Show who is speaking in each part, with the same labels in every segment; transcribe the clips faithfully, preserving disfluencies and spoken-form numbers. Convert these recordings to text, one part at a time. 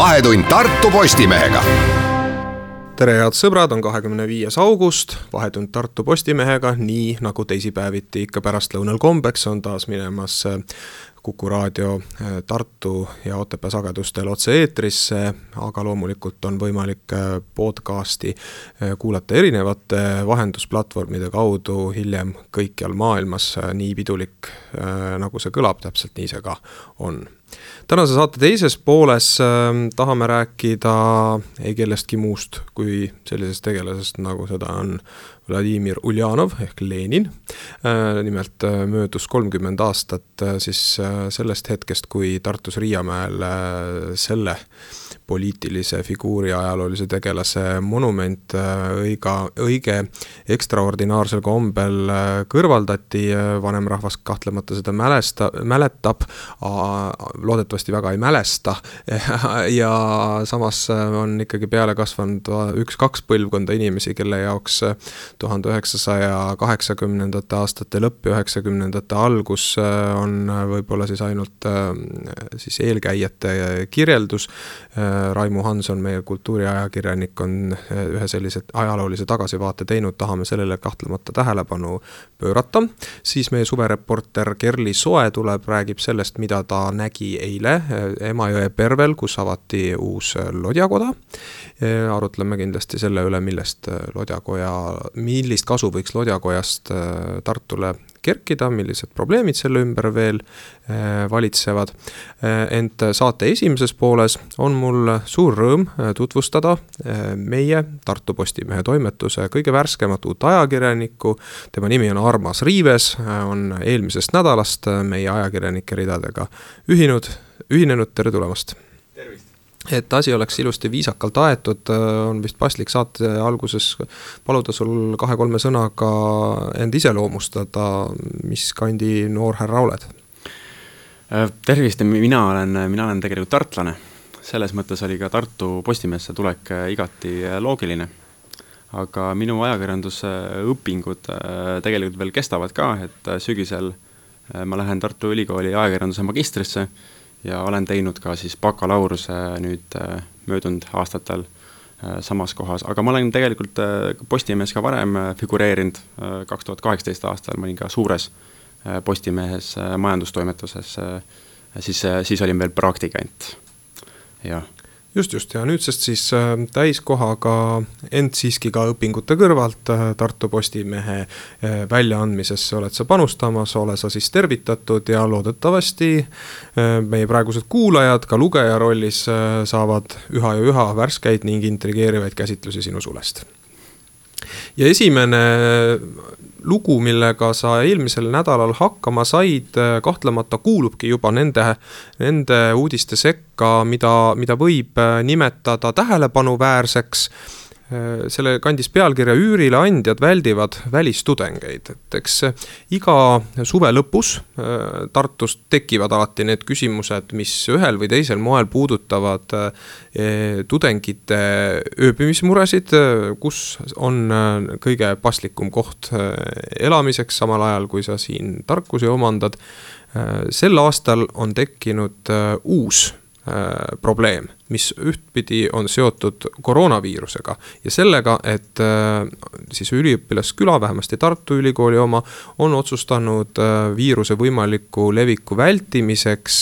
Speaker 1: Vahetund Tartu Postimehega.
Speaker 2: Tere head sõbrad, on kahekümne viies august, Vahetund Tartu Postimehega, nii nagu teisipäeviti ikka pärastlõunal kombeks on taas minemas Kuku raadio Tartu ja Otepää sagedustel otse eetrisse, aga loomulikult on võimalik podcasti kuulata erinevate vahendusplatvormide kaudu hiljem kõikjal maailmas, nii pidulik nagu see kõlab, täpselt nii see ka on. Tänase saate teises pooles tahame rääkida ei kellestki muust kui sellisest tegelasest, nagu seda on Vladimir Uljanov ehk Lenin. Nimelt möödus kolmkümmend aastat siis sellest hetkest, kui Tartus Riiamäel selle poliitilise figuuri ajaloolise tegelase monument õiga, õige ekstraordinaarsel kombel kõrvaldati. Vanem rahvas kahtlemata seda mälesta, mäletab, loodetavasti väga ei mälesta ja samas on ikkagi peale kasvanud üks-kaks põlvkonda inimesi, kelle jaoks tuhande üheksasaja kaheksakümnendate aastate lõpp ja üheksakümnendate algus on võib-olla siis ainult siis eelkäijate kirjeldus. Raimu Hanson, meie kultuuriajakirjanik, on ühe sellise ajaloolise tagasivaate teinud, tahame sellele kahtlemata tähelepanu pöörata. Siis meie suvereporter Kerli Soe tuleb, räägib sellest, mida ta nägi eile Emajõe Pervel, kus avati uus lodjakoda. Arutleme kindlasti selle üle, millest lodjakoja, millist kasu võiks lodjakojast Tartule kerkida, millised probleemid selle ümber veel valitsevad. Ent saate esimeses pooles on mul suur rõõm tutvustada meie Tartu Postimehe toimetuse kõige värskemat uut ajakirjanikku. Tema nimi on Armas Riives, on eelmisest nädalast meie ajakirjanike ridadega ühinud, ühinenud. Tere tulemast!
Speaker 3: Tervist!
Speaker 2: Et asi oleks ilusti viisakalt aetud, on vist paslik saate alguses paluda sul kahe-kolme sõnaga end ise loomustada, mis kandi noor härra oled?
Speaker 3: Tervist, mina olen, mina olen tegelikult tartlane. Selles mõttes oli ka Tartu Postimehesse tulek igati loogiline. Aga minu ajakirjanduse õpingud tegelikult veel kestavad ka, et sügisel ma lähen Tartu Ülikooli ajakirjanduse magistrisse ja olen teinud ka siis bakalaureuse nüüd möödunud aastatel samas kohas. Aga ma olen tegelikult Postimehes ka varem figureerinud. kaks tuhat kaheksateist aastal ma olin ka suures Postimehes majandustoimetuses. Siis, siis olin veel praktikant. Ja.
Speaker 2: Just, just. Ja nüüdsest siis täiskohaga, ent siiski ka õpingute kõrvalt Tartu Postimehe väljaandmisesse oled sa panustamas, ole sa siis tervitatud ja loodetavasti meie praegused kuulajad ka lugeja rollis saavad üha ja üha värskeid ning intrigeerivaid käsitlusi sinu sulest. Ja esimene lugu, millega sa eelmisel nädalal hakkama said, kahtlemata kuulubki juba nende, nende uudiste sekka, mida, mida võib nimetada tähelepanuväärseks. Selle kandis pealkirja Üürile andjad väldivad välistudengeid. Et eks iga suve lõpus Tartus tekivad alati need küsimused, mis ühel või teisel moel puudutavad tudengite ööbimismuresid, kus on kõige paslikum koht elamiseks samal ajal, kui sa siin tarkusi omandad. Sel aastal on tekkinud uus probleem, mis ühtpidi on seotud koroonaviirusega ja sellega, et siis üliõpilasküla, vähemasti Tartu Ülikooli oma, on otsustanud viiruse võimaliku leviku vältimiseks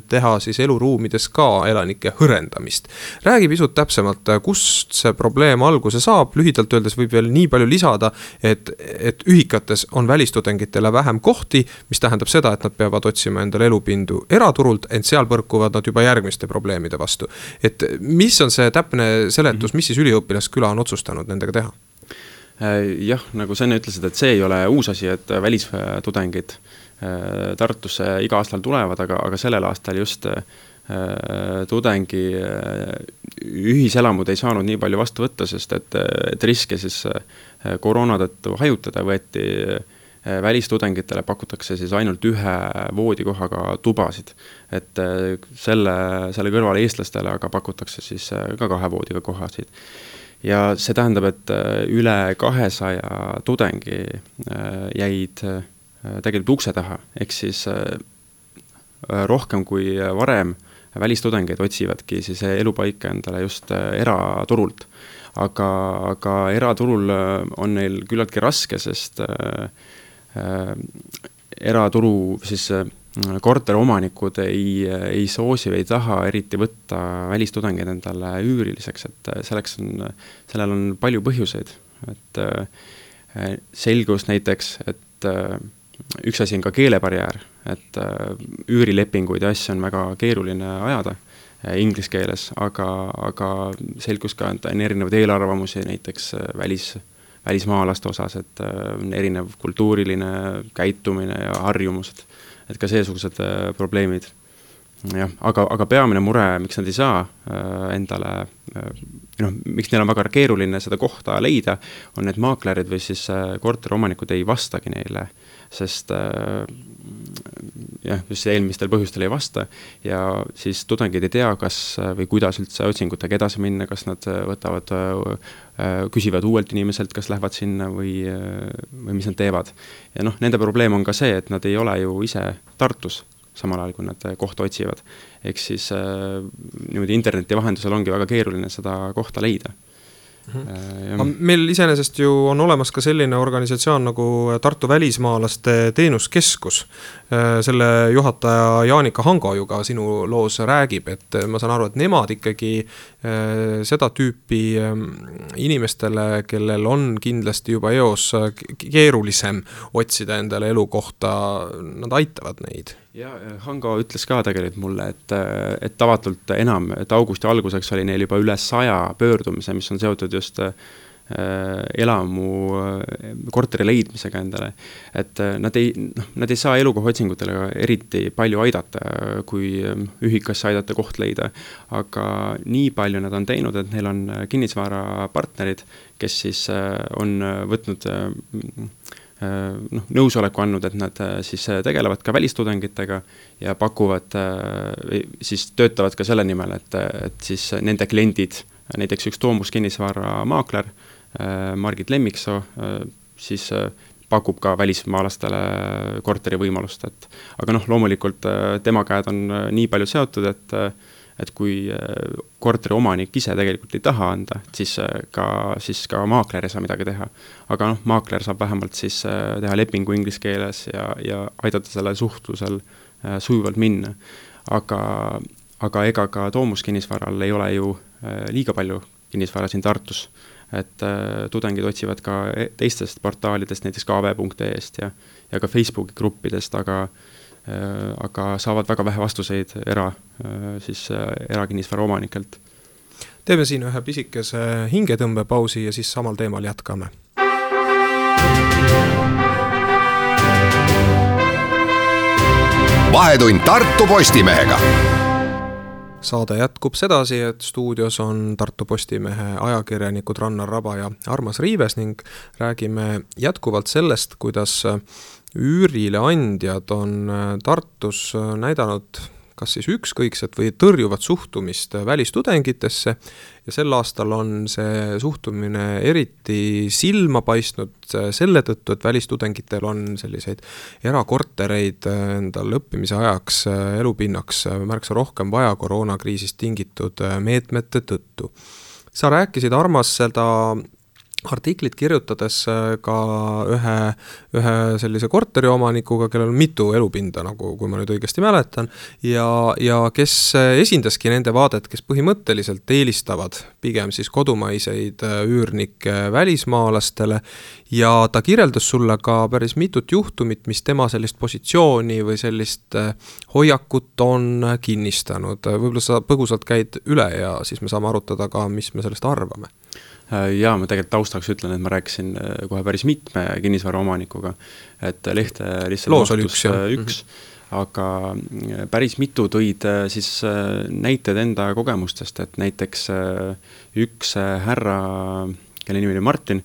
Speaker 2: teha siis eluruumides ka elanike hõrendamist. Räägi pisut täpsemalt, kust see probleem alguse saab, lühidalt öeldes võib veel nii palju lisada, et, et ühikates on välistudengitele vähem kohti, mis tähendab seda, et nad peavad otsima endale elupindu eraturult, ent seal põrkuvad nad juba järgmiste probleemide vastu. Et mis on see täpne seletus, mis siis üliõpilasküla on otsustanud nendega teha?
Speaker 3: Jah, nagu sa enne ütlesid, et see ei ole uus asi, et välistudengid Tartusse iga aastal tulevad, aga, aga sellel aastal just tudengi ühiselamud ei saanud nii palju vastu võtta, sest et, et riske siis koroona tõttu hajutada võeti välistudengitele pakutakse siis ainult ühe voodikohaga tubasid, et selle, selle kõrval eestlastele aga pakutakse siis ka kahe voodiga kohasid. Ja see tähendab, et üle kahesaja tudengi jäid tegelikult ukse taha, ehk siis rohkem kui varem välistudengeid otsivadki siis elupaika endale just eraturult. Aga, aga eraturul on neil küllaltki raske, sest äh, äh, eraturu siis äh, korteromanikud ei, ei soosi või ei taha eriti võtta välistudengeid endale üüriliseks, et selleks on, sellel on palju põhjuseid. Et äh, selgus näiteks, et äh, üks asi on ka keelebarjäär, et äh, üürilepinguid ja asju on väga keeruline ajada äh, inglise keeles, aga, aga selgus ka, et on erinevaid eelarvamusi näiteks äh, välis, välismaalaste osas, et äh, on erinev kultuuriline käitumine ja harjumused, et ka seesugused äh, probleemid. Jah, aga, aga peamine mure, miks nad ei saa äh, endale, äh, noh, miks neil on väga keeruline seda kohta leida, on need maaklerid või siis äh, korteromanikud ei vastagi neile, sest äh, jah, just eelmistel põhjustel ei vasta ja siis tudengid ei tea, kas või kuidas üldse otsingutega edasi minna, kas nad võtavad, äh, küsivad uuelt inimeselt, kas lähevad sinna või, või mis nad teevad. Ja noh, nende probleem on ka see, et nad ei ole ju ise Tartus, samal ajal, kui nad kohta otsivad. Ehk siis äh, niimoodi interneti vahendusel ongi väga keeruline seda kohta leida.
Speaker 2: Mm-hmm. Meil iseenesest ju on olemas ka selline organisatsioon nagu Tartu välismaalaste teenuskeskus. Selle juhataja Jaanika Hango ju ka sinu loos räägib, et ma saan aru, et nemad ikkagi seda tüüpi inimestele, kellel on kindlasti juba eos keerulisem otsida endale elukohta, nad aitavad neid.
Speaker 3: Ja Hango ütles ka tegelikult mulle, et, et tavatult enam, et augusti alguseks oli neil juba üle saja pöördumise, mis on seotud just äh, elamu äh, korteri leidmisega endale. Et äh, nad, ei, noh, nad ei saa elukoha otsingutele eriti palju aidata, kui ühikas aidata koht leida. Aga nii palju nad on teinud, et neil on kinnisvara partnerid, kes siis äh, on võtnud äh, noh, nõusoleku andnud, et nad siis tegelevad ka välistudengitega ja pakuvad, siis töötavad ka selle nimel, et, et siis nende kliendid, näiteks üks Toomus kinnisvara maakler, Margit Lemmiksoo, siis pakub ka välismaalastele korteri võimalust. Et, aga noh, loomulikult tema käed on nii palju seotud, et et kui korteri omanik ise tegelikult ei taha anda, siis ka, siis ka maakler ei saa midagi teha. Aga noh, maakler saab vähemalt siis teha lepingu inglise keeles ja, ja aidata selle suhtlusel sujuvalt minna. Aga, aga ega ka Toomus kinnisvaral ei ole ju liiga palju kinnisvara siin Tartus. Et tudengid otsivad ka teistest portaalidest, näiteks k v punkt e st ja, ja ka Facebooki gruppidest, aga aga saavad väga vähe vastuseid era, siis erakinnisvara omanikelt.
Speaker 2: Teeme siin ühe pisikese hingetõmbepausi ja siis samal teemal jätkame.
Speaker 1: Vahetund Tartu Postimehega.
Speaker 2: Saade jätkub sedasi, et stuudios on Tartu Postimehe ajakirjanikud Rannar Raba ja Armas Riives ning räägime jätkuvalt sellest, kuidas üürile andjad on Tartus näidanud kas siis ükskõikset või tõrjuvat suhtumist välistudengitesse ja sel aastal on see suhtumine eriti silma paistnud selle tõttu, et välistudengitel on selliseid erakortereid endal õppimise ajaks elupinnaks märksa rohkem vaja koroonakriisist tingitud meetmete tõttu. Sa rääkisid, Armas, seda artiklit kirjutades ka ühe, ühe sellise korteriomanikuga, kellel on mitu elupinda, nagu kui ma nüüd õigesti mäletan, ja, ja kes esindaski nende vaadet, kes põhimõtteliselt eelistavad pigem siis kodumaiseid üürnikke välismaalastele ja ta kirjeldas sulle ka päris mitut juhtumit, mis tema sellist positsiooni või sellist hoiakut on kinnistanud. Võib-olla sa põgusalt käid üle ja siis me saame arutada ka, mis me sellest arvame.
Speaker 3: Ja ma tegelikult taustaks ütlen, et ma rääkisin kohe päris mitme kinnisvara omanikuga, et lehte lihtsalt
Speaker 2: loos oli üks,
Speaker 3: üks aga päris mitu tõid siis näited enda kogemustest, et näiteks üks härra, kelle nimi oli Martin,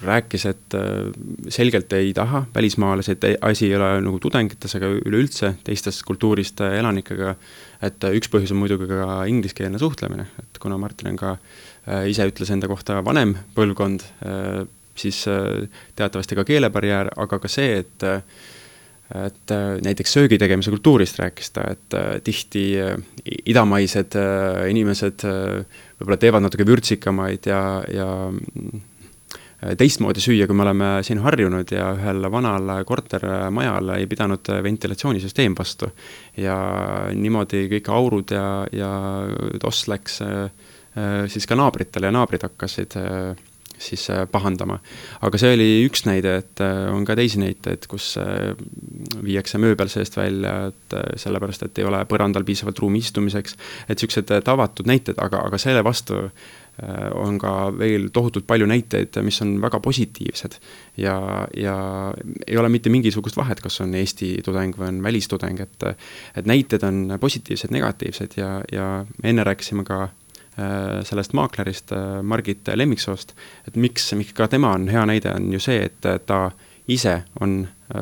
Speaker 3: rääkis, et selgelt ei taha välismaalasi, et asi ei ole nagu tudengites, aga üleüldse teistest kultuurist elanikega, et üks põhjus on muidugi ka ingliskeelne suhtlemine, et kuna Martin on ka ise ütles enda kohta vanem põlvkond, siis teatavasti ka keelebarjäär, aga ka see, et et näiteks söögi tegemise kultuurist rääkis ta, et tihti idamaised inimesed võib-olla teevad natuke vürtsikamaid ja, ja teistmoodi süüa, kui me oleme siin harjunud ja ühel vanal kortermajal ei pidanud ventilatsioonisüsteem vastu. Ja niimoodi kõik aurud ja, ja toss läks siis ka naabritele ja naabrid hakkasid siis pahandama. Aga see oli üks näide, et on ka teisi näiteid, kus viiakse mööbel seest välja, et sellepärast, et ei ole põrandal piisavalt ruumi istumiseks, et sellised tavatud näited, aga, aga selle vastu on ka veel tohutult palju näiteid, mis on väga positiivsed ja, ja ei ole mitte mingisugust vahet, kas on Eesti tudeng või on välistudeng, et, et näited on positiivsed, negatiivsed ja, ja enne rääkisime ka sellest maaklerist Margit Lemmiksoost, et miks, miks ka tema on hea näide, on ju see, et ta ise on,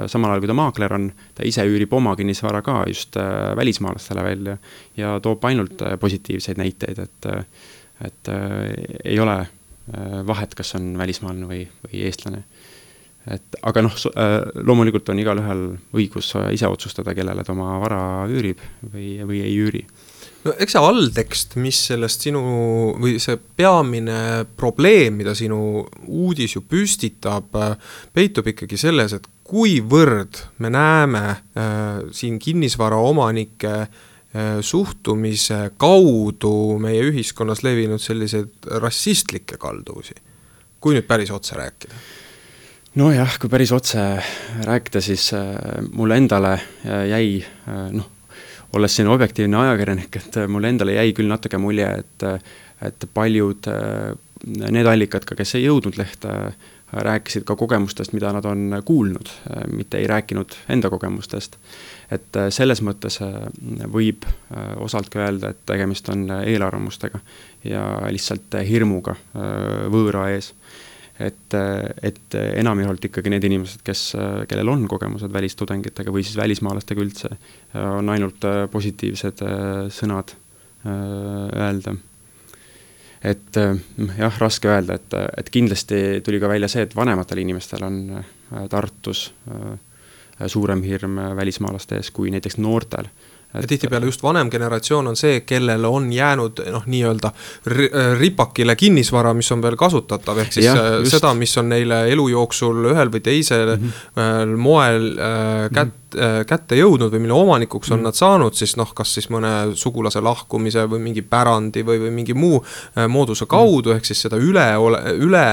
Speaker 3: samal ajal kui ta maakler on, ta ise üürib oma kinnisvara ka just välismaalastele välja ja toob ainult positiivseid näiteid, et, et ei ole vahet, kas on välismaalane või, või eestlane. Et, aga noh, loomulikult on igal ühel õigus ise otsustada, kellele ta oma vara üürib või, või ei üüri.
Speaker 2: No eks see alltekst, mis sellest sinu või see peamine probleem, mida sinu uudis ju püstitab, peitub ikkagi selles, et kuivõrd me näeme äh, siin kinnisvara omanike äh, suhtumise kaudu meie ühiskonnas levinud selliseid rassistlikke kalduvusi, kui nüüd päris otse rääkida.
Speaker 3: No jah, kui päris otse rääkida, siis äh, mulle endale jäi äh, noh, olles siin objektiivne ajakirjanik, et mulle endale jäi küll natuke mulje, et, et paljud need allikad, ka kes ei jõudnud lehte, rääkisid ka kogemustest, mida nad on kuulnud, mitte ei rääkinud enda kogemustest. Et selles mõttes võib osalt ka öelda, et tegemist on eelarvamustega ja lihtsalt hirmuga võõra ees. Et, et enamjaolt ikkagi need inimesed, kes, kellel on kogemused välistudengitega või siis välismaalastega üldse, on ainult positiivsed sõnad öelda. Et jah, raske öelda, et, et kindlasti tuli ka välja see, et vanematel inimestel on Tartus suurem hirm välismaalaste ees kui näiteks noortel.
Speaker 2: Ja tihtipeale just vanem generatsioon on see, kellel on jäänud noh, nii-öelda ripakile kinnisvara, mis on veel kasutatav, ehk siis ja, seda, mis on neile elu jooksul ühel või teisel mm-hmm. moel äh, kät, äh, kätte jõudnud või mille omanikuks on mm-hmm. nad saanud, siis noh, kas siis mõne sugulase lahkumise või mingi pärandi või, või mingi muu äh, mooduse kaudu, mm-hmm. ehk siis seda üle, üle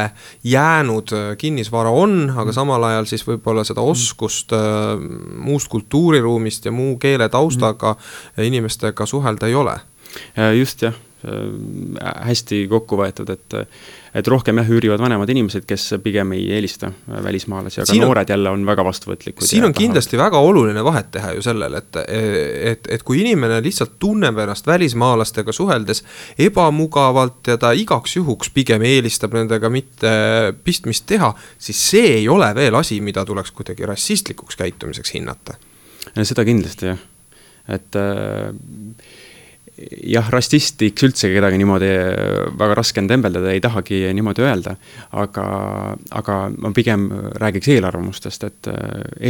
Speaker 2: jäänud kinnisvara on, aga mm-hmm. samal ajal siis võib-olla seda oskust äh, muust kultuuriruumist ja muu keele taustaga mm-hmm. inimestega suhelda ei ole.
Speaker 3: Just jah, hästi kokku võetud, et, et rohkem jah üürivad vanemad inimesed, kes pigem ei eelista välismaalasi, aga siin noored on, jälle on väga vastuvõtlikud.
Speaker 2: Siin on kindlasti väga oluline vahet teha ju sellel, et, et, et kui inimene lihtsalt tunneb ennast välismaalastega suheldes ebamugavalt ja ta igaks juhuks pigem eelistab nendega mitte pistmist teha, siis see ei ole veel asi, mida tuleks kuidagi rassistlikuks käitumiseks hinnata.
Speaker 3: Seda kindlasti jah. Et äh, jah, rassistiks üldse kedagi niimoodi väga raske on tembeldada, ei tahagi niimoodi öelda, aga, aga ma pigem räägiks eelarvamustest, et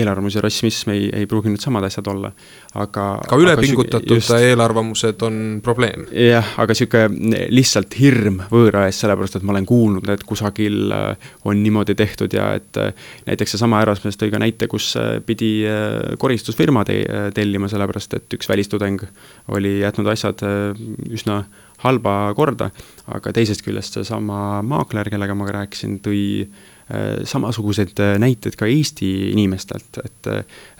Speaker 3: eelarvamus ja rassism ei, ei pruugi nüüd samad asjad olla. Aga,
Speaker 2: ka ülepingutatud just, eelarvamused on probleem.
Speaker 3: Jah, aga siuke lihtsalt hirm võõra ees, sellepärast, et ma olen kuulnud, et kusagil on niimoodi tehtud ja et näiteks see sama Erasmus tõi ka näite, kus pidi koristusfirma tellima, sellepärast, et üks välistudeng oli jätnud asjad üsna halba korda, aga teisest küljest see sama maakler, kellega ma rääkisin, tõi samasugused näited ka Eesti inimestelt, et,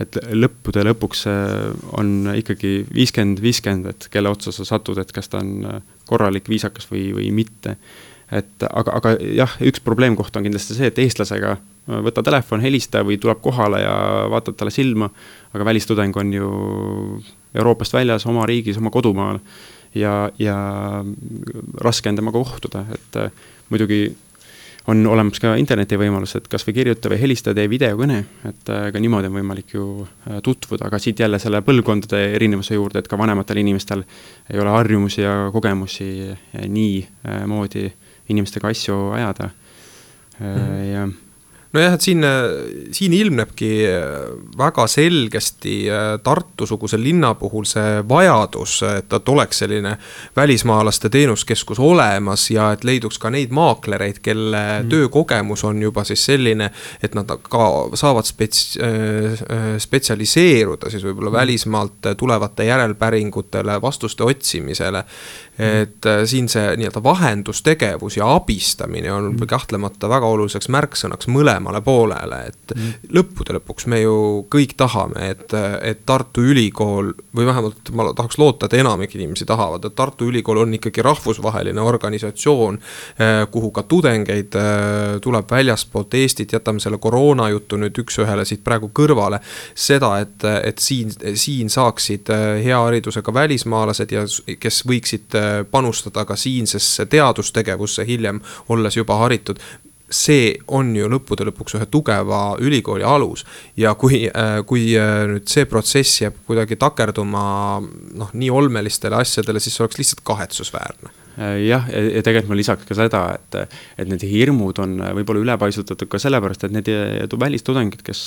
Speaker 3: et lõppude lõpuks on ikkagi viiskümmend viiskümmend, et kelle otsa sa satud, et kas ta on korralik, viisakas või, või mitte. Et, aga, aga jah, üks probleemkoht on kindlasti see, et eestlasega võta telefon, helista või tuleb kohale ja vaatad talle silma, aga välistudeng on ju Euroopast väljas, oma riigis, oma kodumaal ja, ja raske on temaga kohtuda, et muidugi on olemas ka interneti võimalus, et kas või kirjuta või helista tee videokõne, et ka niimoodi on võimalik ju tutvuda, aga siit jälle selle põlvkondade erinevuse juurde, et ka vanematel inimestel ei ole harjumusi ja kogemusi nii moodi inimestega asju ajada mm. ja
Speaker 2: nojah, et siin, siin ilmnebki väga selgesti Tartu-suguse linna puhul see vajadus, et, et oleks selline välismaalaste teenuskeskus olemas ja et leiduks ka neid maaklereid, kelle mm. töökogemus on juba siis selline, et nad ka saavad spets, spetsialiseeruda siis võib-olla mm. välismaalt tulevate järelpäringutele, vastuste otsimisele. Et siin see nii-öelda vahendustegevus ja abistamine on mm. kahtlemata väga oluliseks märksõnaks mõlemale poolele, et mm. lõppude lõpuks me ju kõik tahame, et, et Tartu Ülikool, või vähemalt ma tahaks loota, et enamik inimesi tahavad, et Tartu Ülikool on ikkagi rahvusvaheline organisatsioon, kuhu ka tudengeid tuleb väljaspoolt Eestit, jätame selle koroona juttu nüüd üks ühele siit praegu kõrvale, seda, et, et siin, siin saaksid hea haridusega välismaalased ja kes võiksid panustada ka siinsesse teadustegevusse hiljem, olles juba haritud, see on ju lõppude lõpuks ühe tugeva ülikooli alus ja kui, kui nüüd see protsess jääb kuidagi takerduma noh, nii olmelistele asjadele, siis see oleks lihtsalt kahetsusväärne.
Speaker 3: Jah, ja tegelikult ma lisaks ka seda, et, et need hirmud on võib-olla ülepaisutatud ka sellepärast, et need välistudengid, kes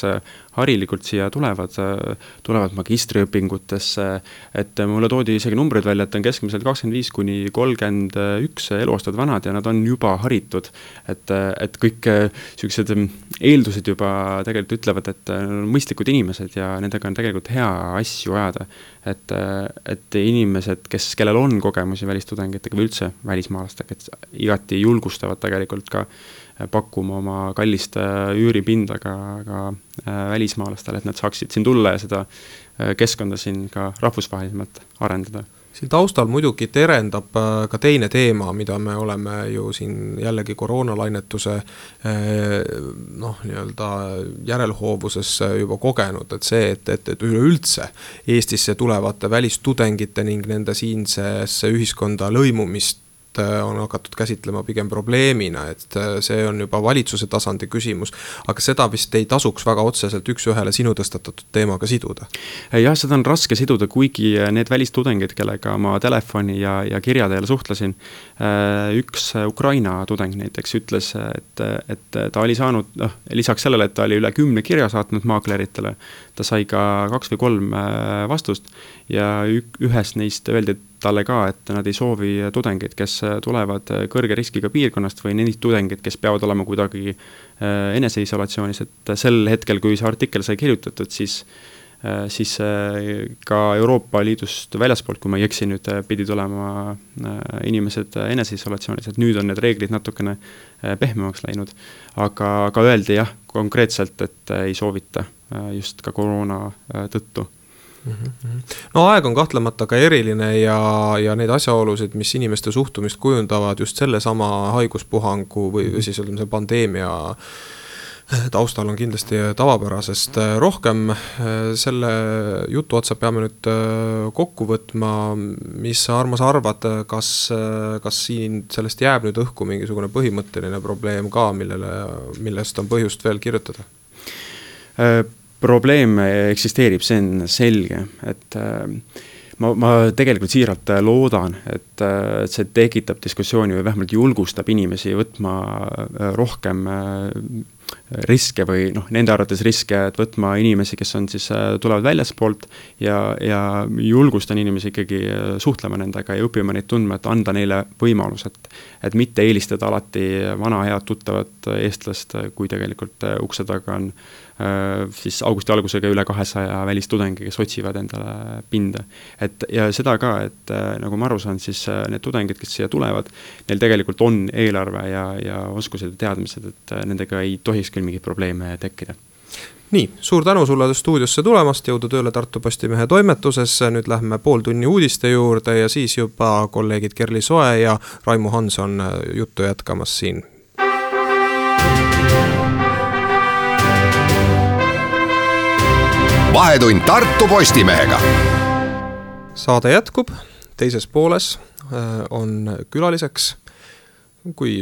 Speaker 3: harilikult siia tulevad, tulevad magistriõpingutesse, et mulle toodi isegi numbrid välja, et on keskmiselt kakskümmend viis kuni kolmkümmend üks eluaastad vanad ja nad on juba haritud, et, et kõik sellised eeldused juba tegelikult ütlevad, et mõistlikud inimesed ja nendega on tegelikult hea asju ajada, et, et inimesed, kes, kellel on kogemusi välistudengitega või üldse välismaalastega, et igati julgustavad tegelikult ka pakkuma oma kallist üüripinda ka, ka välismaalastele, et nad saaksid siin tulla ja seda keskkonda siin ka rahvusvahelisemalt arendada.
Speaker 2: Siin taustal muidugi terendab ka teine teema, mida me oleme ju siin jällegi koroonalainetuse noh, nii-öelda järelhoovuses juba kogenud, et see, et, et, et üleüldse Eestisse tulevate välistudengite ning nende siinsesse ühiskonda lõimumist on hakatud käsitlema pigem probleemina, et see on juba valitsuse tasandi küsimus, aga seda vist ei tasuks väga otseselt üks ühele sinu tõstatatud teemaga siduda.
Speaker 3: Jah, seda on raske siduda, kuigi need välistudengid, kellega ma telefoni ja, ja kirjadel suhtlesin, üks Ukraina tudeng näiteks ütles, et, et ta oli saanud, noh, lisaks sellele, et ta oli üle kümne kirja saatnud maakleritele, ta sai ka kaks või kolm vastust ja ühes neist öeldi talle ka, et nad ei soovi tudengeid, kes tulevad kõrge riskiga piirkonnast või neid tudengeid, kes peavad olema kuidagi eneseisolatsioonis, et sel hetkel, kui see artikkel sai kirjutatud, siis, siis ka Euroopa Liidust väljaspoolt, kui ma ei eksi nüüd, pidi tulema inimesed eneseisolatsioonis, et nüüd on need reeglid natukene pehmemaks läinud, aga, aga öeldi jah, konkreetselt, et ei soovita just ka koroona tõttu.
Speaker 2: No aeg on kahtlemata ka eriline ja, ja need asjaolusid, mis inimeste suhtumist kujundavad just selle sama haiguspuhangu või, või siis see pandeemia taustal on kindlasti tavapärasest rohkem. Selle jutu otsa peame nüüd kokku võtma, mis sa, Armas, arvad, kas, kas siin sellest jääb nüüd õhku mingisugune põhimõtteline probleem ka, millele, millest on põhjust veel kirjutada?
Speaker 3: Probleem eksisteerib, see on selge, et ma, ma tegelikult siiralt loodan, et see tekitab diskussiooni või vähemalt julgustab inimesi võtma rohkem riske või noh, nende arvates riske, et võtma inimesi, kes on siis, tulevad väljaspoolt ja, ja julgustan inimesi ikkagi suhtlema nendega ja õppima neid tundma, et anda neile võimalus, et, et mitte eelistada alati vana head tuttavat eestlast, kui tegelikult ukse taga on siis augusti algusega üle kahesaja välistudengi, kes otsivad endale pinda. Et, ja seda ka, et nagu ma aru saan, siis need tudengid, kes siia tulevad, neil tegelikult on eelarve ja, ja oskused ja teadmised, et nendega ei tohiks küll mingeid probleeme tekkida.
Speaker 2: Nii, suur tänu sulle stuudiosse tulemast, jõudu tööle Tartu Postimehe toimetuses, nüüd lähme pool tunni uudiste juurde ja siis juba kolleegid Kerli Soe ja Raimu Hanson juttu jätkamas siin.
Speaker 1: Vahetund Tartu Postimehega.
Speaker 2: Saade jätkub, teises pooles on külaliseks kui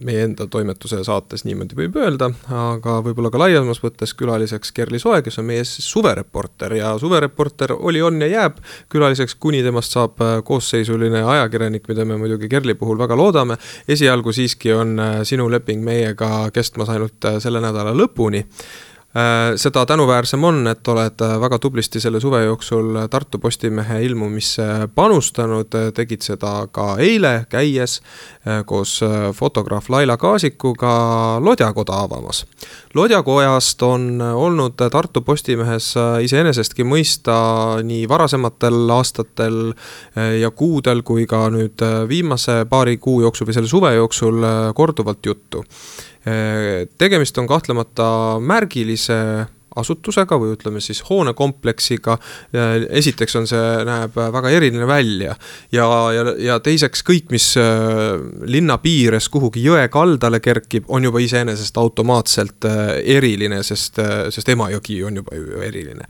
Speaker 2: meie enda toimetuse saates niimoodi võib öelda, aga võib-olla ka laiemas võttes külaliseks Kerli Soe, kes on meie suvereporter ja suvereporter oli, on ja jääb külaliseks, kuni temast saab koosseisuline ajakirjanik, mida me muidugi Kerli puhul väga loodame. Esialgu siiski on sinu leping meiega kestmas ainult selle nädala lõpuni. Seda tänuväärsem on, et oled väga tublisti selle suve jooksul Tartu Postimehe ilmumisse panustanud, tegid seda ka eile käies koos fotograaf Laila Kaasikuga Lodjakoda avamas. Lodjakojast on olnud Tartu Postimehes iseenesestki mõista nii varasematel aastatel ja kuudel kui ka nüüd viimase paari kuu jooksul või selle suve jooksul korduvalt juttu. Tegemist on kahtlemata märgilise asutusega või ütleme siis hoonekompleksiga. Esiteks on see, näeb väga eriline välja ja, ja, ja teiseks kõik, mis linna piires kuhugi jõe kaldale kerkib, on juba iseenesest automaatselt eriline, sest, sest Emajõgi on juba eriline.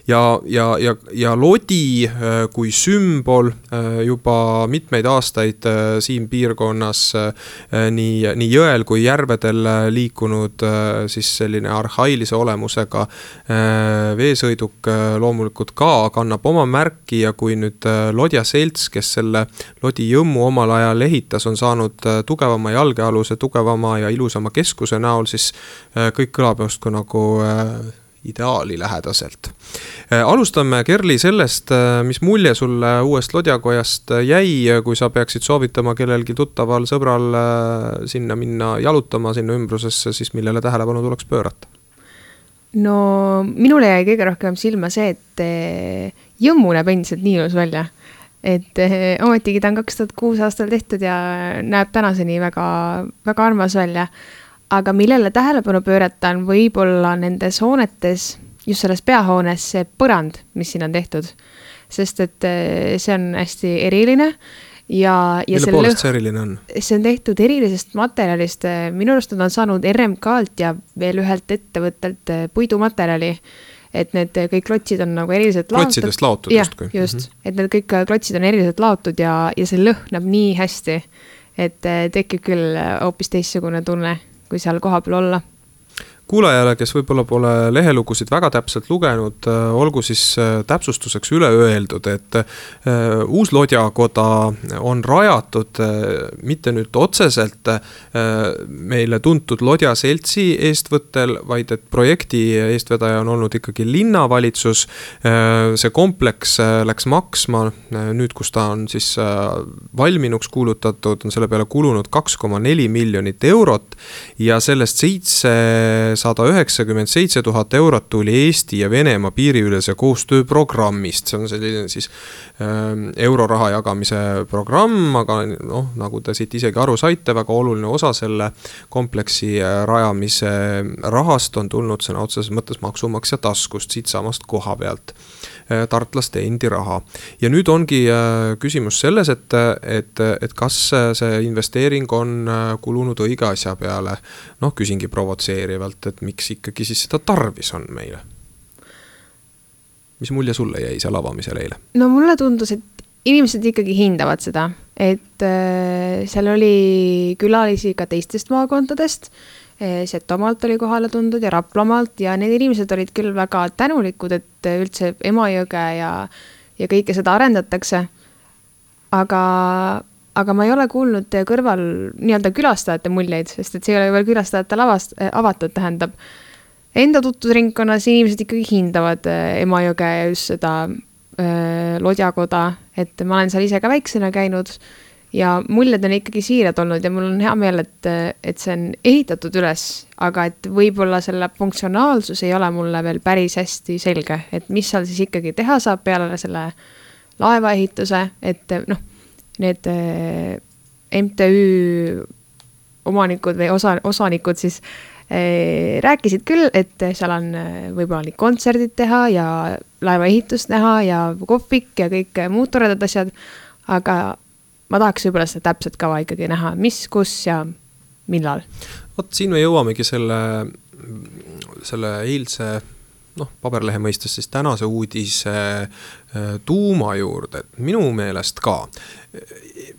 Speaker 2: Ja, ja, ja, ja Lodi kui sümbol juba mitmeid aastaid siin piirkonnas nii, nii jõel kui järvedel liikunud siis selline arhailise olemusega veesõiduk loomulikult ka kannab oma märki ja kui nüüd Lodja selts, kes selle Lodi jõmmu omal ajal ehitas, on saanud tugevama jalgealuse, tugevama ja ilusama keskuse näol, siis kõik kõlab just nagu ideaali lähedaselt. Alustame, Kerli, sellest, mis mulje sulle uuest Lodjakojast jäi, kui sa peaksid soovitama kellelgi tuttaval sõbral sinna minna jalutama sinna ümbrusesse, siis millele tähelepanu tuleks pöörata?
Speaker 4: No minule jäi kõige rohkem silma see, et jõmmu näeb endiselt nii ilus välja. Et ometigi ta on kaks tuhat kuus aastal tehtud ja näeb tänaseni väga, väga armas välja. Aga millele tähelepanu pöörata on võib-olla nendes hoonetes, just selles peahoones see põrand, mis siin on tehtud. Sest et see on hästi eriline. Ja, ja
Speaker 2: mille poolest see eriline on?
Speaker 4: See on tehtud erilisest materjalist. Minu arust on saanud R M K-lt ja veel ühelt ettevõttelt puidumaterjali. Et need kõik klotsid on nagu eriliselt laotud.
Speaker 2: Klotsidest laotud
Speaker 4: ja,
Speaker 2: just kui.
Speaker 4: just. Mm-hmm. Et need kõik klotsid on eriliselt laotud ja, ja see lõhnab nii hästi, et tekib küll hoopis teistsugune tunne, kui seal koha peal olla.
Speaker 2: Kuulajale, kes võib-olla pole lehelugusid väga täpselt lugenud, olgu siis täpsustuseks üle öeldud, et uus Lodjakoda on rajatud mitte nüüd otseselt meile tuntud Lodja seltsi eestvõttel, vaid et projekti eestvedaja on olnud ikkagi linnavalitsus. See kompleks läks maksma, nüüd kus ta on siis valminuks kuulutatud, on selle peale kulunud kaks koma neli miljonit eurot ja sellest seitse sada üheksakümmend seitse tuhat eurot tuli Eesti ja Venemaa piiriülese koostööprogrammist. See on selline siis äh, euroraha jagamise programm, aga noh, nagu te siit isegi aru saite, väga oluline osa selle kompleksi rajamise rahast on tulnud sõna otseses mõttes maksumaksja taskust, siit samast koha pealt äh, tartlaste endi raha. Ja nüüd ongi äh, küsimus selles, et, et, et kas see investeering on äh, kulunud õige asja peale. Noh, küsingi provotseerivalt, et miks ikkagi siis seda tarvis on meile? Mis mulje sulle jäi seal avamisel eile?
Speaker 4: No mulle tundus, et inimesed ikkagi hindavad seda, et äh, seal oli külalisi ka teistest maakondadest, äh, Setomaalt oli kohale tundud ja Raplamaalt ja need inimesed olid küll väga tänulikud, et üldse Emajõge ja, ja kõike seda arendatakse, aga aga ma ei ole kuulnud kõrval nii-öelda külastajate muljeid, sest et see ei ole veel külastajate lavast, avatud, tähendab. Enda tutvusringkonnas inimesed ikkagi hindavad Emajõge ja just seda äh, Lodjakoda, et ma olen seal ise ka väiksena käinud ja muljed on ikkagi siirad olnud ja mul on hea meel, et, et see on ehitatud üles, aga et võib-olla selle funktsionaalsus ei ole mulle veel päris hästi selge, et mis seal siis ikkagi teha saab peale selle laevaehituse, et noh, need M T Ü omanikud või osa, osanikud siis eh, rääkisid küll, et seal on võib-olla nii kontserdid teha ja laevaehitust näha ja kohvik ja kõik muud toredad asjad, aga ma tahaks võib-olla seda täpselt kava ikkagi näha, mis, kus ja millal.
Speaker 2: Vot siin me jõuamegi selle, selle eilse noh, paberlehe mõistes siis tänase uudise tuuma juurde, et minu meelest ka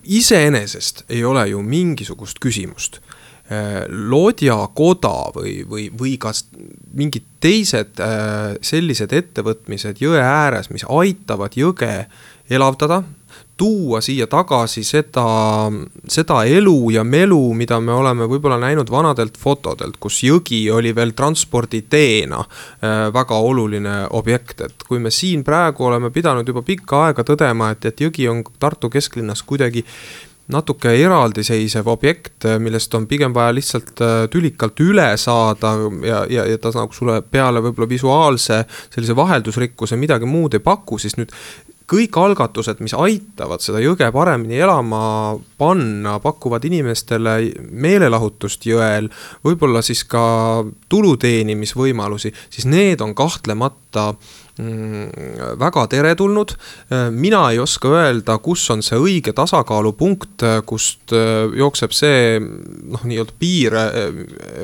Speaker 2: iseenesest ei ole ju mingisugust küsimust. Lodjakoda või, või, või kas mingid teised sellised ettevõtmised jõe ääres, mis aitavad jõge elavdada, tuua siia tagasi seda, seda elu ja melu, mida me oleme võib-olla näinud vanadelt fotodelt, kus jõgi oli veel transporditeena väga oluline objekt, et kui me siin praegu oleme pidanud juba pikka aega tõdema, et, et jõgi on Tartu kesklinnas kuidagi natuke eraldiseisev objekt, millest on pigem vaja lihtsalt tülikalt üle saada ja, ja, ja ta nagu sulle peale võib-olla visuaalse sellise vaheldusrikkuse midagi muud ei paku, siis nüüd kõik algatused, mis aitavad seda jõge paremini elama panna, pakuvad inimestele meelelahutust jõel, võib-olla siis ka tuluteenimisvõimalusi, siis need on kahtlemata väga teretulnud. Mina ei oska öelda, kus on see õige tasakaalupunkt, kust jookseb see noh, nii-öelda piir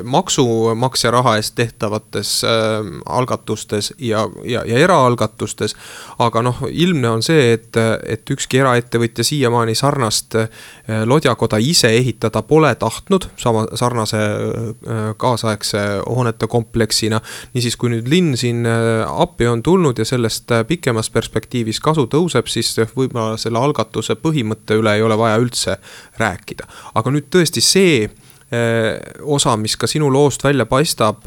Speaker 2: maksumaksja raha eest tehtavates algatustes ja, ja, ja eraalgatustes, aga noh, ilmne on see, et, et ükski eraettevõtja siiamaani sarnast lodjakoda ise ehitada pole tahtnud, sama sarnase kaasaegse hoonete kompleksina. Niisiis, kui nüüd linn siin appi on tulnud ja sellest pikemas perspektiivis kasu tõuseb, siis võib-olla selle algatuse põhimõtte üle ei ole vaja üldse rääkida. Aga nüüd tõesti see osa, mis ka sinu loost välja paistab,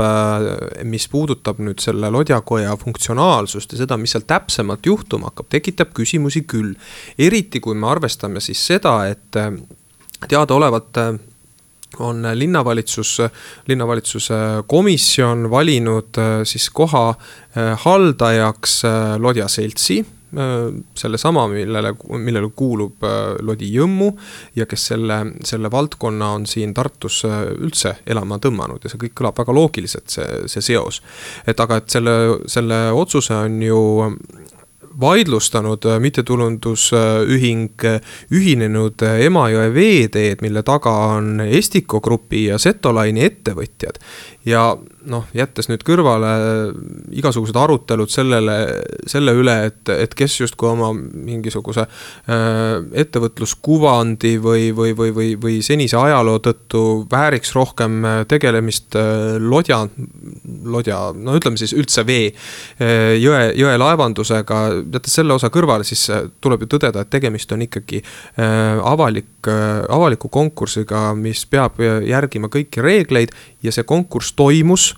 Speaker 2: mis puudutab nüüd selle lodjakoja funktsionaalsust ja seda, mis seal täpsemalt juhtuma hakkab, tekitab küsimusi küll. Eriti kui me arvestame siis seda, et teadaolevalt on linnavalitsus, linnavalitsuse komisjon valinud siis koha haldajaks Lodjaseltsi, selle sama, millele, millele kuulub Lodi Jõmmu ja kes selle, selle valdkonna on siin Tartus üldse elama tõmmanud ja see kõik kõlab väga loogiliselt, see, see seos. Et aga et selle, selle otsuse on ju vaidlustanud mittetulundusühing Ühinenud Emajõe veeteed, mille taga on Estiko Grupi ja Setolaini ettevõtjad. Ja noh, jättes nüüd kõrvale igasugused arutelud sellele, selle üle, et, et kes justkui oma mingisuguse ettevõtluskuvandi või, või, või, või, või senise ajaloo tõttu vääriks rohkem tegelemist lodja, lodja, no ütleme siis üldse vee, jõe, jõe laevandusega, jättes selle osa kõrvale, siis tuleb ju tõdeda, et tegemist on ikkagi avalik, avaliku konkursiga, mis peab järgima kõiki reegleid ja see konkurss toimus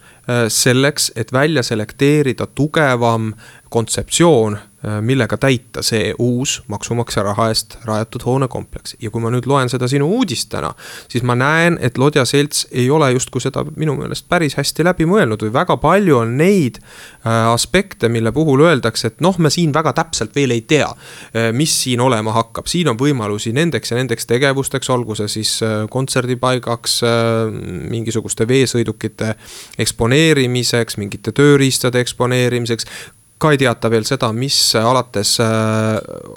Speaker 2: selleks, et välja selekteerida tugevam kontseptsioon, millega täita see uus maksumaksja raha eest rajatud hoonekompleks. Ja kui ma nüüd loen seda sinu uudist täna, siis ma näen, et Lodjaselts ei ole justkui seda minu meelest päris hästi läbi mõelnud või väga palju on neid aspekte, mille puhul öeldakse, et noh, me siin väga täpselt veel ei tea, mis siin olema hakkab. Siin on võimalusi nendeks ja nendeks tegevusteks, olgu see siis kontserdipaigaks, mingisuguste veesõidukite eksponeerimiseks, mingite tööriistade eksponeerimiseks, ka ei teata veel seda, mis alates, äh,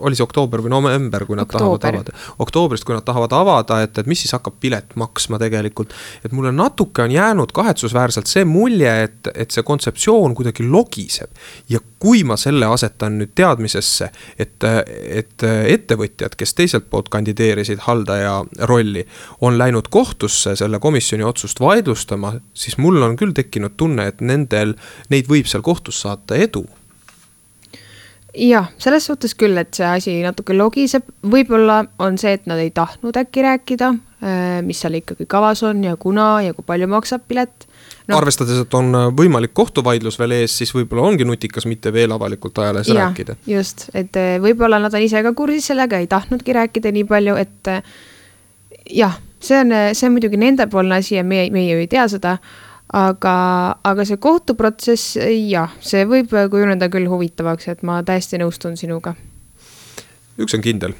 Speaker 2: oli see oktoober või november, kui nad Oktoober. tahavad avada. Oktoobrist, kui nad tahavad avada, et, et mis siis hakkab pilet maksma tegelikult. Et mulle natuke on jäänud kahetsusväärselt see mulje, et, et see kontseptsioon kuidagi logiseb. Ja kui ma selle asetan nüüd teadmisesse, et, et ettevõtjad, kes teiselt poolt kandideerisid haldaja rolli, on läinud kohtusse selle komisjoni otsust vaidlustama, siis mul on küll tekkinud tunne, et nendel, neid võib seal kohtus saata edu.
Speaker 4: Jah, selles suhtes küll, et see asi natuke logiseb, võib-olla on see, et nad ei tahtnud äkki rääkida, mis seal ikkagi kavas on ja kuna ja kui palju maksab pilet. No.
Speaker 2: Arvestades, et on võimalik kohtuvaidlus veel ees, siis võib-olla ongi nutikas mitte veel avalikult ajalees ja, rääkida.
Speaker 4: Just, et võib-olla nad on ise ka kursis sellega, ei tahtnudki rääkida nii palju, et jah, see on, see on muidugi nende poolne asi ja meie, meie ei tea seda, aga, aga see kohtuprotsess, jah, see võib kujuneda küll huvitavaks, et ma täiesti nõustun sinuga.
Speaker 2: Üks on kindel.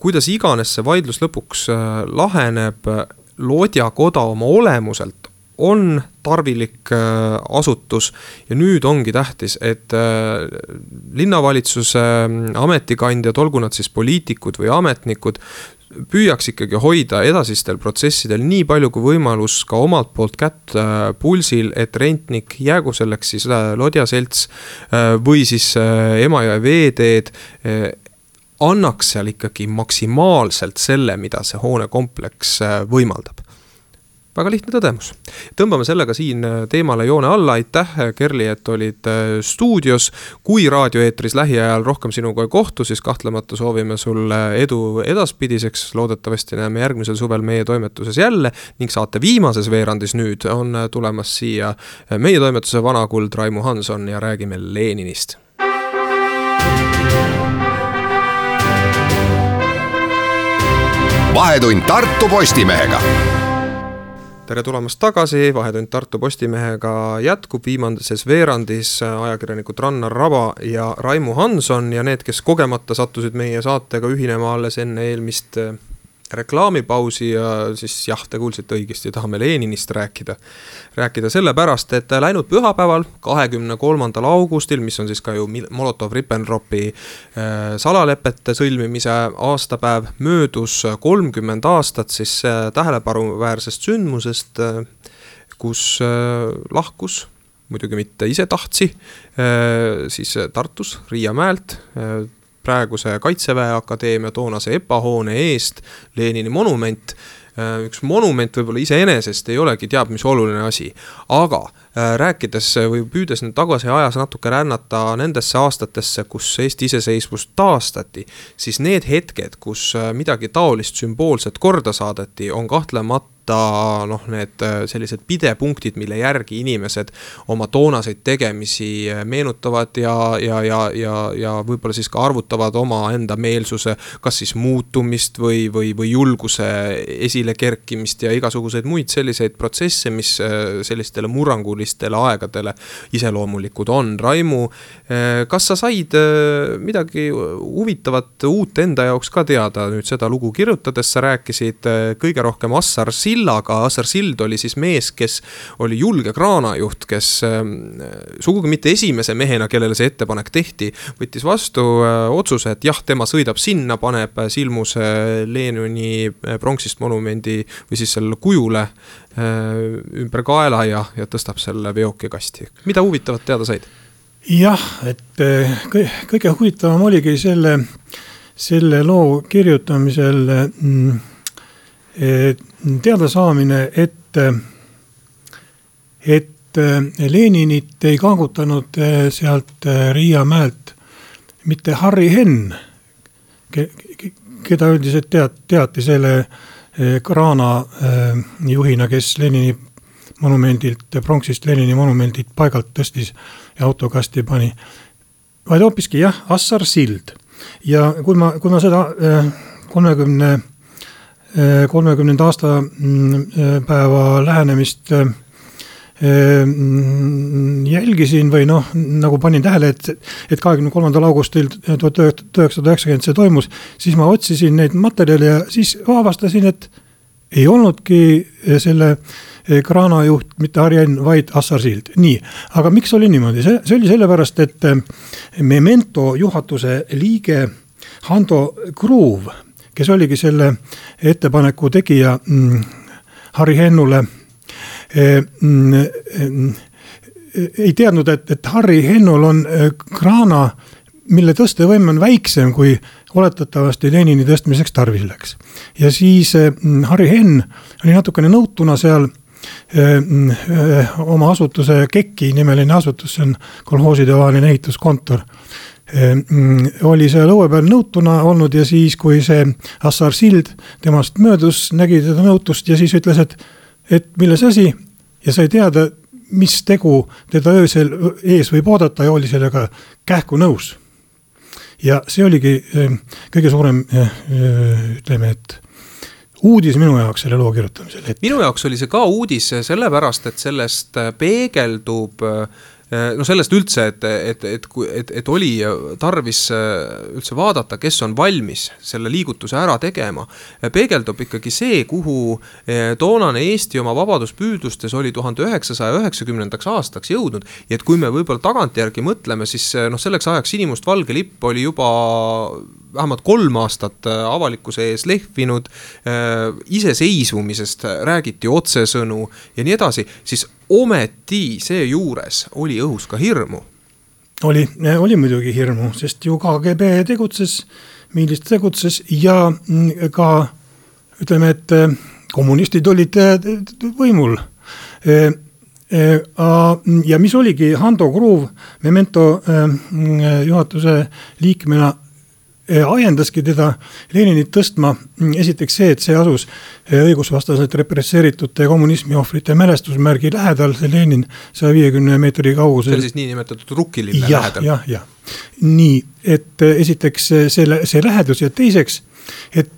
Speaker 2: Kuidas iganes see vaidlus lõpuks laheneb, Lodjakoda oma olemuselt on tarvilik asutus ja nüüd ongi tähtis, et linnavalitsuse ametikandjad, olgu nad siis poliitikud või ametnikud, püüaks ikkagi hoida edasistel protsessidel nii palju kui võimalus ka omalt poolt kätt pulsil, et rentnik, jäägu selleks siis Lodjaselts või siis Emajõe veeteed, annaks seal ikkagi maksimaalselt selle, mida see hoonekompleks võimaldab. Väga lihtne tõdemus. Tõmbame sellega siin teemale joone alla. Aitäh, Kerli, et olid stuudios. Kui raadioeetris lähiajal rohkem sinuga ei kohtu, siis kahtlemata soovime sulle edu edaspidiseks. Loodetavasti näeme järgmisel suvel meie toimetuses jälle ning saate viimases veerandis nüüd on tulemas siia meie toimetuse vanakuld Raimu Hanson ja räägime Leninist.
Speaker 1: Vahetund Tartu Postimehega.
Speaker 2: Tere tulemast tagasi, Vahetund Tartu Postimehega jätkub viimases veerandis ajakirjanikud Rannar Raba ja Raimu Hanson ja need, kes kogemata sattusid meie saatega ühinema alles enne eelmist reklaamipausi ja siis jah, te kuulsite õigesti, tahame Leninist rääkida. Rääkida sellepärast, et läinud pühapäeval, kahekümne kolmandal augustil, mis on siis ka ju Molotov-Ribbentropi salalepete sõlmimise aastapäev, möödus kolmkümmend aastat siis tähelepanuväärsest sündmusest, kus lahkus, muidugi mitte ise tahtsi, siis Tartus, Riia mäelt, praeguse Kaitseväe Akadeemia toonase E P A hoone eest Lenini monument. Üks monument võib-olla iseenesest ei olegi teab mis oluline asi, aga rääkides või püüdes nüüd tagasi ajas natuke rännata nendesse aastatesse, kus Eesti iseseisvust taastati, siis need hetked, kus midagi taolist sümboolset korda saadeti, on kahtlemata noh, need sellised pidepunktid, mille järgi inimesed oma toonaseid tegemisi meenutavad ja, ja, ja, ja, ja võib-olla siis ka arvutavad oma enda meelsuse, kas siis muutumist või, või, või julguse esile kerkimist ja igasuguseid muid selliseid protsesse, mis sellistele murrangulistele aegadele iseloomulikud on. Raimu, kas sa said midagi huvitavat uut enda jaoks ka teada nüüd seda lugu kirjutades? Sa rääkisid kõige rohkem Assar Sillaga. Assar Sild oli siis mees, kes oli julge kraanajuht, kes sugugi mitte esimese mehena, kellele see ettepanek tehti, võttis vastu otsuse, et jah, tema sõidab sinna, paneb silmuse Lenini pronksist monumendi või siis selle kujule ümber kaela ja, ja tõstab selle veokikasti. Mida huvitavat teada said?
Speaker 5: Jah, et kõige huvitavam oligi selle, selle loo kirjutamisel teada saamine, et, et Leninit ei kaagutanud sealt Riia mäelt mitte Harri Henn, keda üldiselt teat, teati selle kraana juhina, kes Lenini monumendilt, pronksist Lenini monumendilt paigalt tõstis ja autokasti pani, vaid hoopiski jah, Assar Sild. Ja kui ma, kui ma seda kolmekümne kolmekümnenda aasta päeva lähenemist jälgisin või noh, nagu panin tähele, et, et kahekümne kolmandal augustil tuhat üheksasada üheksakümmend see toimus, siis ma otsisin neid materjale ja siis avastasin, et ei olnudki selle kraanajuht mitte Harri Henn, vaid Assar Sild. Nii, aga miks oli niimoodi? See, see oli sellepärast, et Memento juhatuse liige Hando Kruuv, kes oligi selle ettepaneku tegija mm, Harri Hennule, e, mm, ei teadnud, et, et Harri Hennul on kraana, mille tõstevõim on väiksem kui oletatavasti Lenini tõstmiseks tarvis läks. Ja siis mm, Harri Henn oli natukene nõutuna seal e, e, oma asutuse Kekki nimeline asutus, see on kolhooside vaheline ehituskontor, oli see lõue peal nõutuna olnud ja siis, kui see Assar Sild temast möödus, nägi teda nõutust ja siis ütles, et, et milles asi ja sai teada, mis tegu teda öösel ees võib oodata ja oli sellega kähku nõus. Ja see oligi kõige suurem, ütleme, et uudis minu jaoks selle loo kirjutamisel.
Speaker 2: Minu jaoks oli see ka uudis sellepärast, et sellest peegeldub no sellest üldse, et, et, et, et, et oli tarvis üldse vaadata, kes on valmis selle liigutuse ära tegema, peegeldub ikkagi see, kuhu toonane Eesti oma vabaduspüüdlustes oli tuhande üheksasaja üheksakümnendaks aastaks jõudnud, ja et kui me võib-olla tagantjärgi mõtleme, siis noh, selleks ajaks sinimustvalge lipp oli juba vähemalt kolm aastat avalikkuse ees lehvinud, iseseisvumisest räägiti otsesõnu ja nii edasi, siis ometi see juures oli õhus ka hirmu.
Speaker 5: Oli, oli muidugi hirmu, sest ju K G B tegutses, millist tegutses ja ka ütleme, et kommunistid olid võimul. Ja mis oligi Hando Kruuv Memento juhatuse liikmena ajendaski teda Leninit tõstma esiteks see, et see asus õigusvastaselt represseeritute kommunismi ohvrite mälestusmärgi lähedal, see Lenin saja viiekümne meetri kaugusel.
Speaker 2: See oli siis nii nimetatud Rukkilille
Speaker 5: ja,
Speaker 2: lähedal.
Speaker 5: Jah, jah. Nii, et esiteks see, see lähedus ja teiseks, et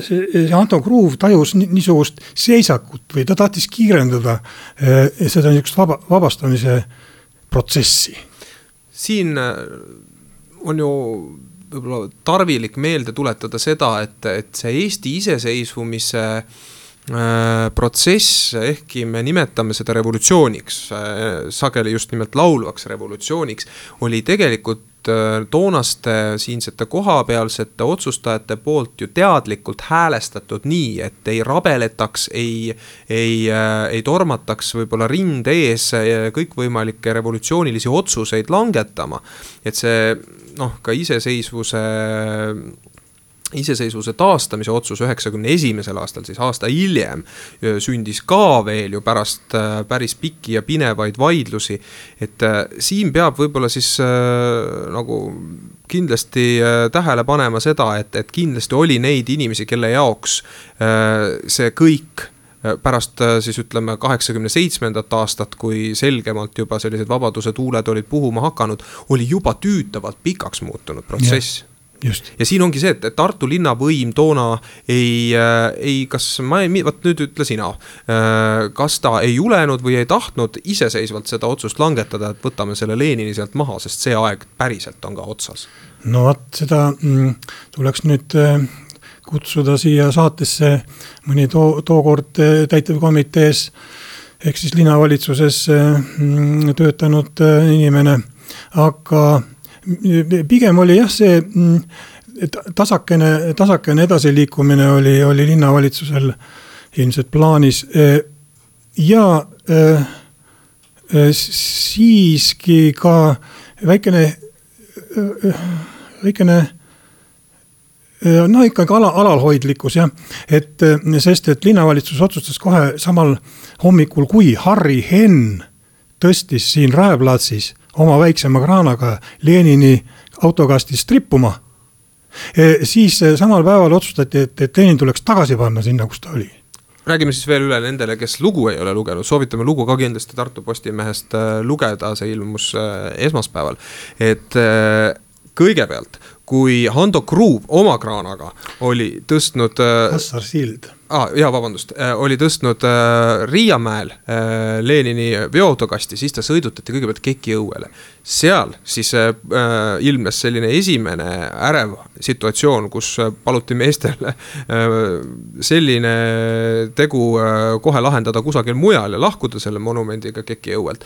Speaker 5: see Hando Kruuv tajus niisugust seisakut või ta tahtis kiirendada seda niisugust vaba, vabastamise protsessi.
Speaker 2: Siin on ju võib-olla tarvilik meelde tuletada seda, et, et see Eesti iseseisvumise äh, protsess, ehkki me nimetame seda revolutsiooniks, äh, sageli just nimelt laulvaks revolutsiooniks, oli tegelikult äh, toonaste siinsete kohapealsete otsustajate poolt ju teadlikult häälestatud nii, et ei rabeletaks, ei, ei, äh, ei tormataks võib-olla rind ees kõikvõimalikke revolutsioonilisi otsuseid langetama, et see noh, ka iseseisvuse, iseseisvuse taastamise otsus üheksakümne esimesel aastal, siis aasta hiljem sündis ka veel ju pärast päris pikki ja pinevaid vaidlusi, et siin peab võib-olla siis nagu kindlasti tähele panema seda, et, et kindlasti oli neid inimesi, kelle jaoks see kõik pärast siis ütleme kaheksakümne seitsmendat aastat, kui selgemalt juba sellised vabaduse tuuled olid puhuma hakanud, oli juba tüütavalt pikaks muutunud protsess. Ja, just. Ja siin ongi see, et Tartu linnavõim toona ei, ei kas ma ei, võt nüüd ütle sina, kas ta ei julenud või ei tahtnud iseseisvalt seda otsust langetada, et võtame selle Lenini sealt maha, sest see aeg päriselt on ka otsas.
Speaker 5: No vaat seda mm, tuleks nüüd kutsuda siia saatesse mõni too, tookord täitevkomitees ehk siis linnavalitsuses töötanud inimene, aga pigem oli jah see tasakene, tasakene edasiliikumine oli, oli linnavalitsusel ilmselt plaanis ja siiski ka väikene väikene no ikkagi ala, alalhoidlikkus jah, et sest, et linnavalitsus otsustas kohe samal hommikul, kui Harri Henn tõstis siin Raeplatsis oma väiksema kraanaga Lenini autokastist rippuma, siis samal päeval otsustati, et, et Lenin tuleks tagasi panna sinna, kus ta oli.
Speaker 2: Räägime siis veel üle nendele, kes lugu ei ole lugenud, soovitame lugu ka kindlasti Tartu Postimehest lugeda, see ilmus esmaspäeval, et kõigepealt, kui Hando Kruuv oma kraanaga oli tõstnud
Speaker 5: Assar Sild.
Speaker 2: Ah, jah, vabandust, oli tõstnud Riiamäel Lenini veoautokasti, siis ta sõidutati kõigepealt Keki õuele. Seal siis ilmnes selline esimene ärev situatsioon, kus paluti meestel selline tegu kohe lahendada kusagil mujal ja lahkuda selle monumendiga Keki õuelt.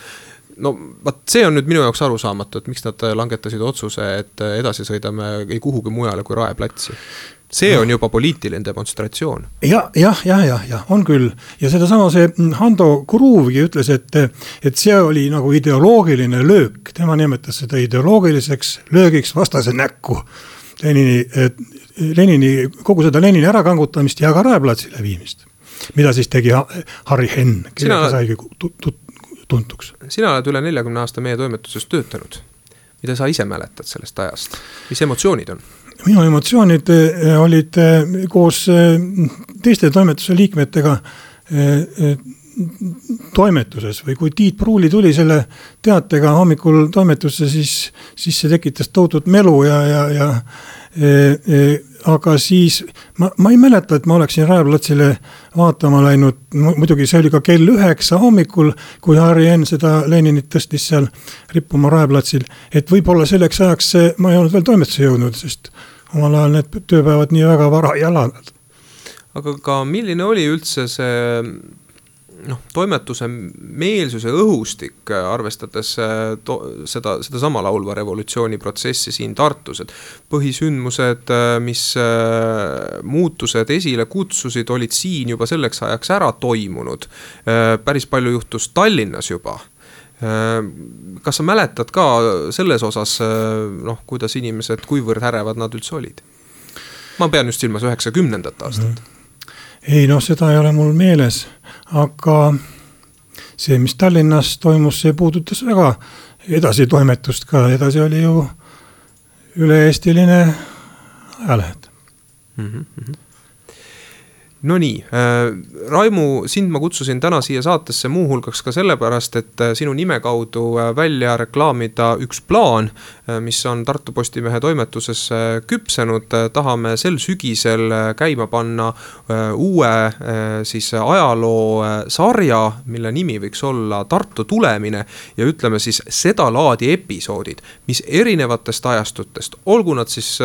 Speaker 2: No, vaat see on nüüd minu jaoks arusaamatu, et miks nad langetasid otsuse, et edasi sõidame ei kuhugi mujale kui Raeplatsi. See on juba poliitiline demonstratsioon. Ja, jah, jah, jah, jah, on küll. Ja seda sama see Hando Kruuvgi ütles, et, et see oli nagu ideoloogiline löök. Tema nimetas seda ideoloogiliseks löögiks vastase näkku. Lenini, Lenini, kogu seda Lenini ärakangutamist ja ka Raeplatsile viimist. Mida siis tegi Harri Henn, kellega saigi tut tuntuks. Sina oled üle neljakümne aasta meie toimetuses töötanud. Mida sa ise mäletad sellest ajast? Mis emotsioonid on?
Speaker 5: Minu emotsioonid olid koos teiste toimetuse liikmetega toimetuses või kui Tiit Pruuli tuli selle teatega hommikul toimetusse, siis, siis see tekitas tohutut melu ja, ja, ja e, e, aga siis ma, ma ei mäleta, et ma oleksin Raeplatsile vaatama läinud, muidugi see oli ka kell üheksa hommikul, kui Harri Enn seda Leninit tõstis seal rippuma Raeplatsil, et võib-olla selleks ajaks see, ma ei olnud veel toimetusse jõudnud, sest omal ajal need tööpäevad nii väga vara ei alanud.
Speaker 2: Aga ka milline oli üldse see noh, toimetuse meelsuse õhustik, arvestades to, seda, seda sama laulva revolutsiooni protsessi siin Tartus, et põhisündmused, mis muutused esile kutsusid, olid siin juba selleks ajaks ära toimunud. Päris palju juhtus Tallinnas juba. Kas sa mäletad ka selles osas, noh, kuidas inimesed, kuivõrd ärevad nad üldse olid? Ma pean just silmas üheksakümnendat aastat.
Speaker 5: Ei, noh, seda ei ole mul meeles, aga see, mis Tallinnas toimus, see puudutas väga edasi toimetust ka. Edasi oli ju üle-eestiline ajalehed.
Speaker 2: Mm-hmm. No nii, Raimu, sind ma kutsusin täna siia saatesse muuhulgaks ka sellepärast, et sinu nime kaudu välja reklaamida üks plaan, mis on Tartu Postimehe toimetuses küpsenud. Tahame sel sügisel käima panna uue siis ajaloo sarja, mille nimi võiks olla Tartu tulemine ja ütleme siis seda laadi episoodid, mis erinevatest ajastutest, olgu nad siis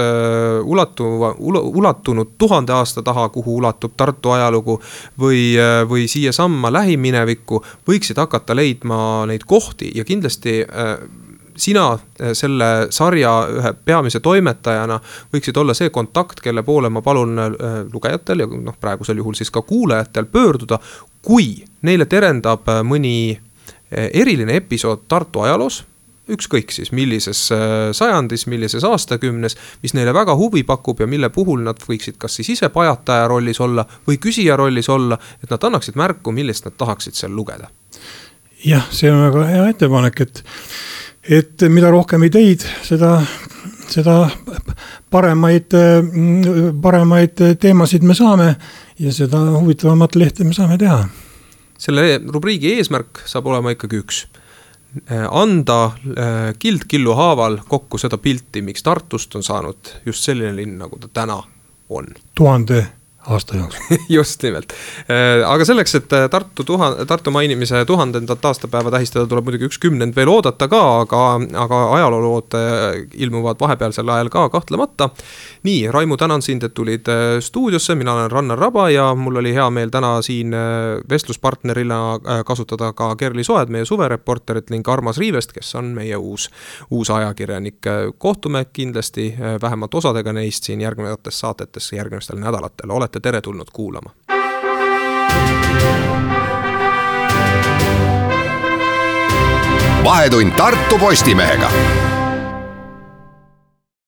Speaker 2: ulatu, ulatunud tuhande aasta taha, kuhu ulatub Tartu ajalugu või, või siia samma lähiminevikku, võiksid hakata leidma neid kohti ja kindlasti äh, sina selle sarja ühe peamise toimetajana võiksid olla see kontakt, kelle poole ma palun äh, lugejatel ja noh, praegusel juhul siis ka kuulajatel pöörduda, kui neile terendab mõni eriline episood Tartu ajaloos, ükskõik siis millises sajandis, millises aastakümnes, mis neile väga huvi pakub ja mille puhul nad võiksid kas siis ise pajataja rollis olla või küsija rollis olla, et nad annaksid märku, millest nad tahaksid seal lugeda.
Speaker 5: Jah, see on väga hea ettepanek, et, et mida rohkem ideid, seda, seda paremaid, paremaid teemasid me saame ja seda huvitavamat lehte me saame teha.
Speaker 2: Selle rubriigi eesmärk saab olema ikkagi üks. Anda kild-killu haaval kokku seda pilti, miks Tartust on saanud just selline linn, nagu ta täna on.
Speaker 5: Tuhande aasta jaoks.
Speaker 2: Just nimelt. Aga selleks, et Tartu, tuhan, Tartu mainimise tuhandendat aastapäeva tähistada, tuleb muidugi üks kümnend veel oodata ka, aga, aga ajaloolood ilmuvad vahepealsel ajal ka kahtlemata. Nii, Raimu, tänan sind, et tulid stuudiosse, mina olen Rannar Raba ja mul oli hea meel täna siin vestluspartnerina kasutada ka Kerli Soed, meie suvereporterit ning Armas Riivest, kes on meie uus, uus ajakirjanik. Kohtume kindlasti vähemalt osadega neist siin järgnevates saatetes järgnevatel nädalatel. Olete tere tulnud kuulama.
Speaker 1: Vahetund Tartu Postimehega.